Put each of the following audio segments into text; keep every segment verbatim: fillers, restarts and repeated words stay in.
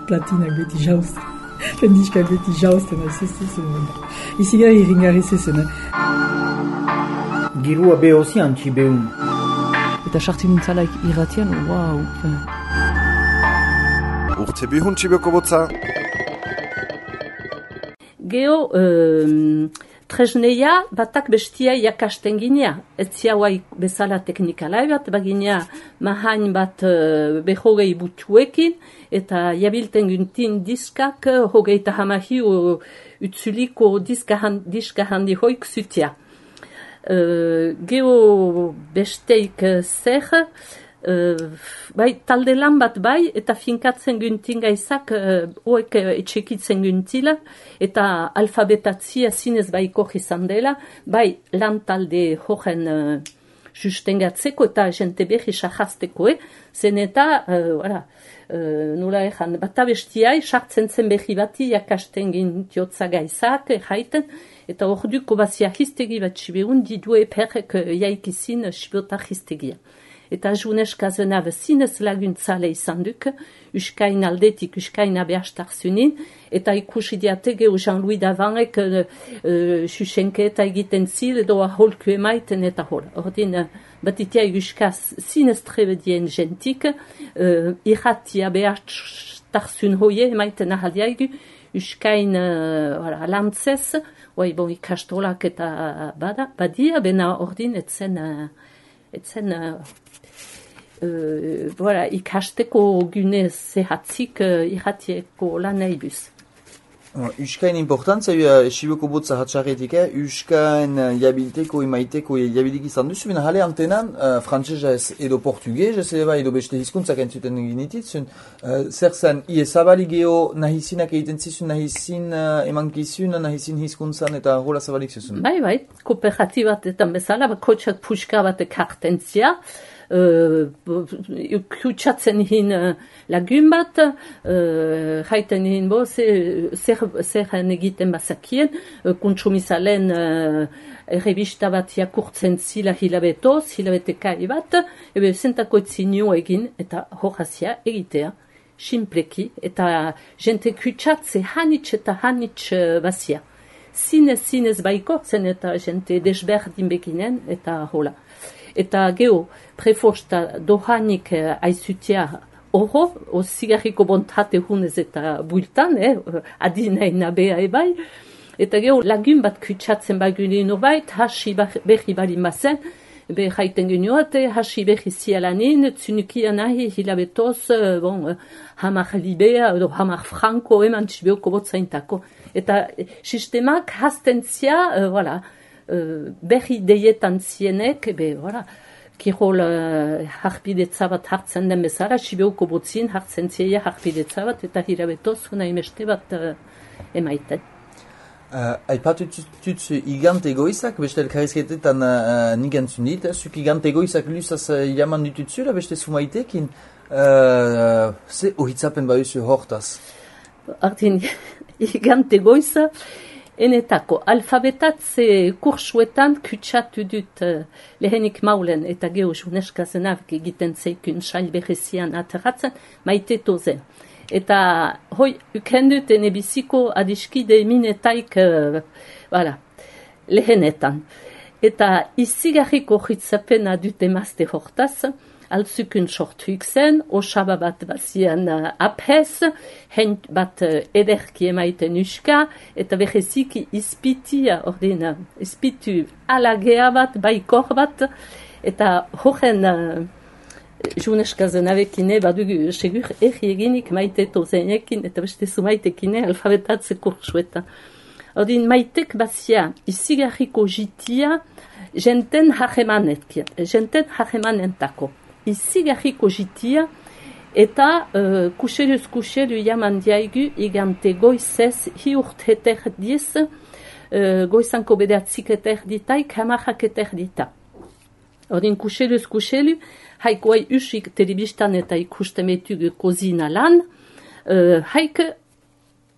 platinak beti jauzten. Pendiskak beti jauzten, ez ez ez ez. Izi gara irringarri zezen. Girua behozi antzi behun. Eta sartzen nintzalaik irratian, wau. Urte bihun txibeko botza. Geo, um, tresneia batak bestia jakasten ginea. Ez ziauai bezala teknikalai bat, baginea mahain bat uh, behogei butuekin, eta jabilten guntin diskak uh, hogeita hamahi uh, utzuliko diska, hand, diska handi hoik zutia. Uh, geo besteik uh, zer, uh, bai, talde lan bat bai, eta finkatzen guntin gaizak, uh, oek uh, etxekitzen guntila, eta alfabetatzia zinez baiko izan dela, bai, lan talde horren uh, sustengatzeko eta jente behi sahazteko, eh? Zen eta, uh, voilà, uh, nola ezan, bat abestiai, sartzen zen behi bati, jakasten gintiotza gaizak, jaiten, eta hor duko bazia histegi bat sibeun, didue perrek jaikizin sibota histegia. Eta juneska zenav zinez laguntzale izan duk, uskain aldetik, uskain abehastar zunin, eta ikusi diatege Jean-Louis Davanrek uh, uh, susenketa egiten zil, edo aholku emaiten eta hol. Ordin, uh, batitia uskaz zinez trebedien gentik, uh, irrati abehastar zun hoie emaiten ahaliaigu, uskain uh, voilà, lantzez, Oi, bon, ikastolak eta bada, badia, bena ordin etzen, uh, etzen, uh, uh, voilà, ikasteko gune zehatzik uh, irratieko lan naibuz. Uskain importantzia, uh, Siboko botza hatxarretik, eh? Uskain uh, jabilteko, imaiteko, jabilik izan duzu, bina jale antenan, uh, frantzesez edo portugez, ez eba edo beste hizkuntzak entzuten ginititzun, uh, zer zen, iezabali geho nahizinak egiten zizun, nahizin uh, emankizun, nahizin hizkuntzan eta hola zabalik zizun. Bai, bai, kooperatibatetan bezala, bakotxak puska bat ekartentzia, Uh, kutsatzen hin uh, lagun bat, uh, jaiten hin bo, zer egiten bazakien, uh, kuntsumizalen uh, errebista bat jakurtzen zila hilabetoz, hilabetekai bat, ebe zentako etzinio egin, eta horazia egitea, simpleki, eta jente kutsatze hanitz eta hanitz uh, bazia. Zinez, zinez baiko, zen eta jente desberdin beginen, eta hola. Eta geho, prefosta dohanik eh, aizutia oro, o zigarriko bontate hunez eta bultan, eh, adinai nabea ebai. Eta geho, lagun bat kutsatzen bagunin obait, hasi behi bali mazen, be jaiten genioate, hasi behi zialanin, tzunukia nahi hilabetoz, bon, hamar libea, edo hamar franko, eman txibeoko botzaintako. Eta sistemak hastentzia, uh, voilà, Uh, berri deietan zienek, ebe, voilà, kirol uh, harpidetza bat hartzen den bezala, sibeuko botzin hartzen zieia harpidetza bat, eta hirabetoz, hona imeste bat uh, emaiten. Uh, Aipatu tutz igante egoizak, beste elkarrizketetan uh, nik entzun dit, zuk igante egoizak luzaz uh, jaman ditutzula, beste sumaitekin, uh, ze ohitzapen bauzu hortaz? Artin, igante egoiza, enetako, alfabetatze kursuetan kutsatu dut uh, lehenik maulen eta geho juneska zenavik egiten zeikun sail berezian ateratzen, maite tozen. Eta hoi, ukendut ene biziko adiskide minetaik, uh, voilà, lehenetan. Eta izigarriko hitzapena dut emazte hortaz, altzukun sortuik zen, osaba bat bazian uh, aphez, hent bat uh, ederki emaiten uska, eta beheziki izpitia, ordina, izpitu alagea bat, baikor bat, eta horren uh, juneska zenavekine, badugu segur erri eginik maite tozenekin, eta beste zumaitekine alfabetatze kursuetan. Ordin, maitek bazia, izigarriko jitia, jenten hagemanetkian, jenten hagemanentako. Izigarriko jitia, eta uh, kuseluz kuselu jaman diaigu igante goizez hi urte diz, uh, goizanko bedatzik eterditaik hamahak eterdita. Ordin kuseluz kuselu, haik oai usik telebistan eta ikustemetugu kozina lan, uh, haik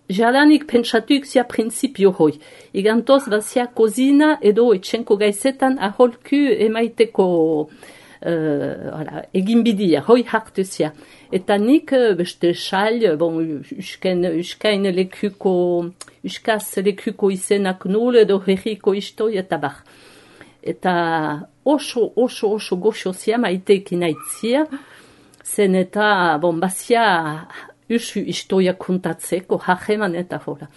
jalanik pentsatuik zia prinsipio hoi. Igantoz bazia kozina edo etxenko gaizetan aholku emaiteko uh, hala, egin bidia, hoi hartuzia. Eta nik beste xal, bon, usken, uskain lekuko, uskaz lekuko izenak nul edo herriko istoi eta bar. Eta oso, oso, oso goxozia maiteekin aitzia, zen eta, bon, bazia usu istoia kontatzeko, hageman eta hola.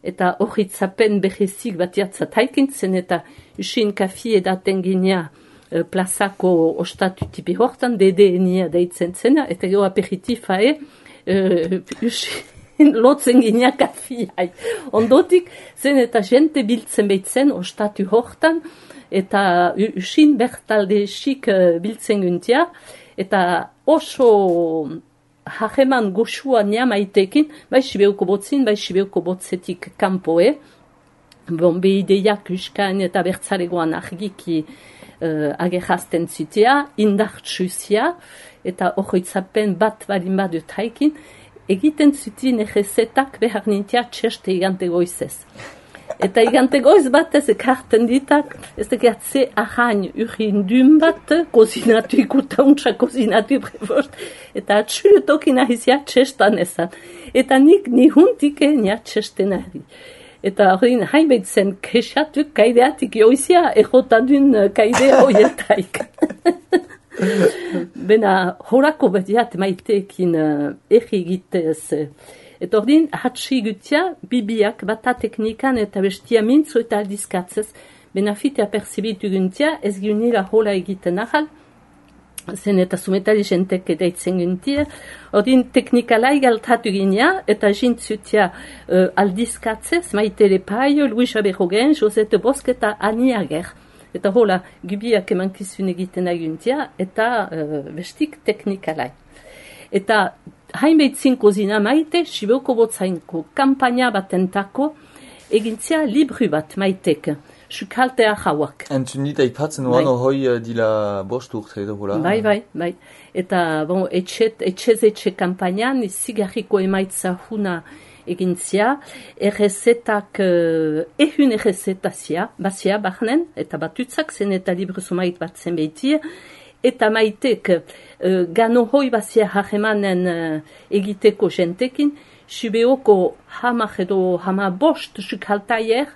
Eta horritzapen behezik batiatzat haikin zen eta usin kafi edaten ginea uh, plazako ostatu tipi hortan, dedenia deitzen zena, eta gero aperitifae uh, usin lotzen ginea kafiai. Ondotik zen eta jente biltzen behitzen ostatu hortan, eta usin bertalde esik uh, biltzen guntia, eta oso hageman goxua nia maitekin, bai sibeuko botzin, bai sibeuko botzetik kanpoe, bon, behideiak uskan eta bertzaregoan argiki uh, agerrazten zutea, indartsuzia, eta horretzapen bat balin badut haikin, egiten zutien egezetak behar nintia txeste igante goizez. Eta igante goiz bat ez ekarten ditak, ez ekartze ahain urin dun bat, kozinatu ikuta untsa kozinatu prefost, eta atxurutoki nahizia txestan ezan. Eta nik nihuntik enia txesten ari. Eta horrein hainbaitzen kexatuk kaideatik joizia, egotadun kaidea hoietaik. Bena horako betiat maiteekin uh, erri egitez. Eta ordin, hatsi gutia, bibiak bata teknikan eta bestia mintzo eta aldizkatzez, benafitea perzibitu guntia, ez gunila hola egiten ahal, zen eta sumetali jentek edaitzen guntia, ordin teknikalai galtatu ginea, eta jintzutia uh, aldizkatzez, Maitere Paio, Luis Aberrogen, Josete Bosk eta Ani Ager. Eta hola, gubiak emankizun egiten aguntia, eta uh, bestik teknikalai. Eta hainbeitzin kozina maite, sibeuko botzainko kampaina batentako, egintzia libru bat maitek, sukaltea jauak. Entzun dit aipatzen oan hoi dila bost urte edo hola. Bai, bai, bai. Eta, bon, etxet, etxez etxe kampainan, zigarriko emaitza huna egintzia, errezetak, uh, ehun errezetazia, bazia bahnen, eta batutzak zen eta libru zumait bat zen behitia, eta maitek uh, gano hoi bazia hagemanen uh, egiteko jentekin, sibeoko hama edo hama bost sukaltaier,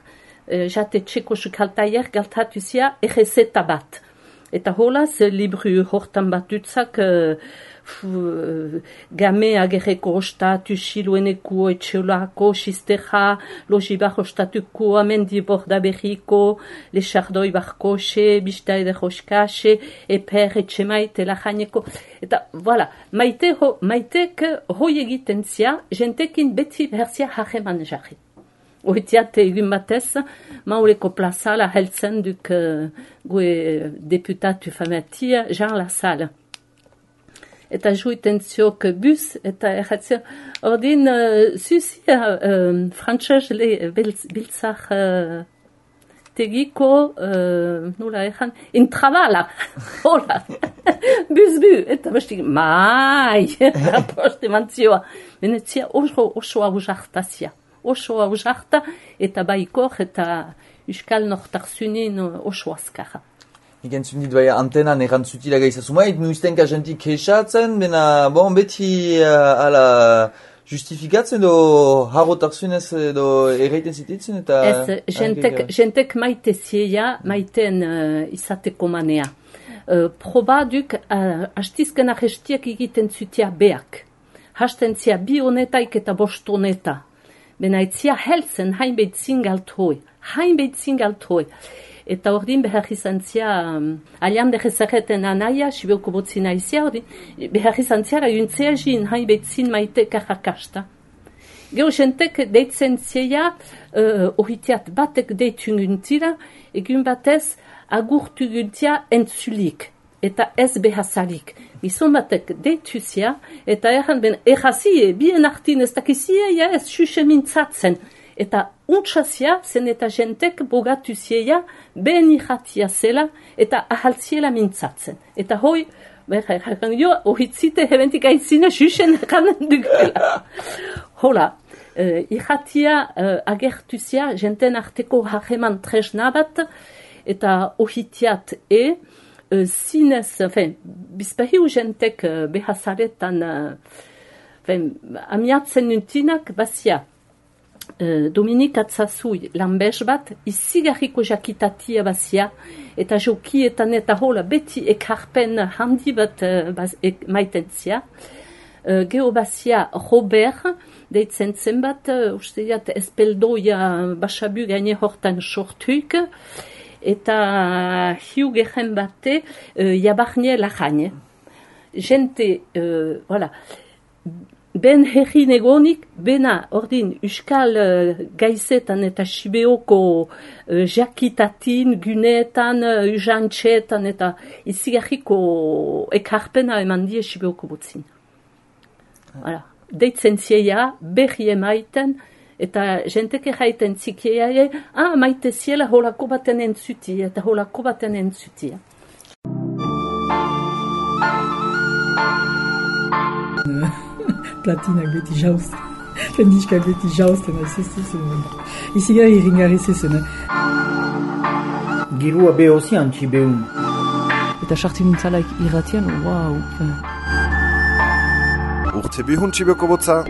uh, jate txeko sukaltaier galtatuzia errezeta bat. Eta holaz, libru hortan batutzak, uh, game agerreko ostatu, silueneko, etxeolako, sisteja, lojibar ostatuko, amendi borda berriko, lexardoi barkoxe, bista eder oskaxe, eper, etxemaite, lajaneko. Eta, voilà, maite ho, maitek hoi egiten zia, jentekin beti berzia hageman jarri. Oitiat egun batez, mauleko plazala heltzen duk uh, gue deputatu fametia, Jean Lassalle. Eta juiten ziok bus, eta erratzio, ordin, uh, zuzia, uh, frantxez biltzak uh, tegiko, uh, nola erran, intrabala, hola, bus bu, eta bestik, mai, aposte mantzioa, benetzia oso, oso hau jartazia, oso hau jarta, eta baikor, eta uskal nortarzunin oso azkarra. Igen zundit bai antenan erantzutila gaizazumait, nuiztenka jentik kexatzen, bena, bon, beti uh, ala justifikatzen edo harrotarzunez edo erreiten zititzen, eta... Ez, jentek, jentek maite zieia, maiten uh, izateko manea. Uh, proba duk, uh, hastizken ahestiak egiten zutia beak. Hasten zia bi honetaik eta bost honeta. Bena etzia helzen hainbeit zingalt hoi, hainbeit zingalt hoi. Eta ordin behar izan zia, um, alian degezareten anaia, sibeuko botzina izia, ordin, behar izan ziara juntzea jin, hainbeit zin maite karrakasta. Gero jentek deitzen zia, uh, ohitiat batek deitun guntira, egun batez agurtu guntia entzulik, eta ez behazalik. Gizon batek deitu zia, eta erran ben errazie, bien artin ez dakizia, ja ez xuxe mintzatzen. Eta untxazia zen eta jentek bogatu zieia ben irratia zela eta ahaltziela mintzatzen. Eta hoi, behar erran jo, ohitzite hebentik aitzina xuxen erranen dugela. Hola, uh, irratia uh, agertu zia jenten arteko hageman tresna bat, eta ohitiat e, uh, zinez, enfin, bizpahiu jentek uh, behazaretan, uh, enfin, amiatzen nuntinak, bazia, uh, Dominik Atzazui lanbez bat, izigarriko jakitatia bazia, eta jokietan eta hola beti ekarpen handi bat uh, baz, ek, maitentzia. Uh, Geho bazia Robert, deitzen zenbat, uh, uste diat espeldoia basabu gaine hortan sortuik, eta hiu gehen bate uh, jabarnie lajaine. Gente, uh, voilà, ben herri negonik, bena ordin Euskal uh, gaizetan eta Sibeoko uh, jakitatin, guneetan, uh, ujantxetan eta izigarriko ekarpena eman die Sibeoko botzin. Voilà. Deitzen zieia, berri emaiten, eta jenteke jaiten zikieia, ah, maite ziela holako baten entzuti, eta holako baten entzuti. Platinak beti jauzten. Jendizkak beti jauzten, ez ez zen. Izigarri irringarri zezen. Girua behozi antzi behun. Eta sartu nintzalaik irratian, wow. Urte bihun txibeko botza.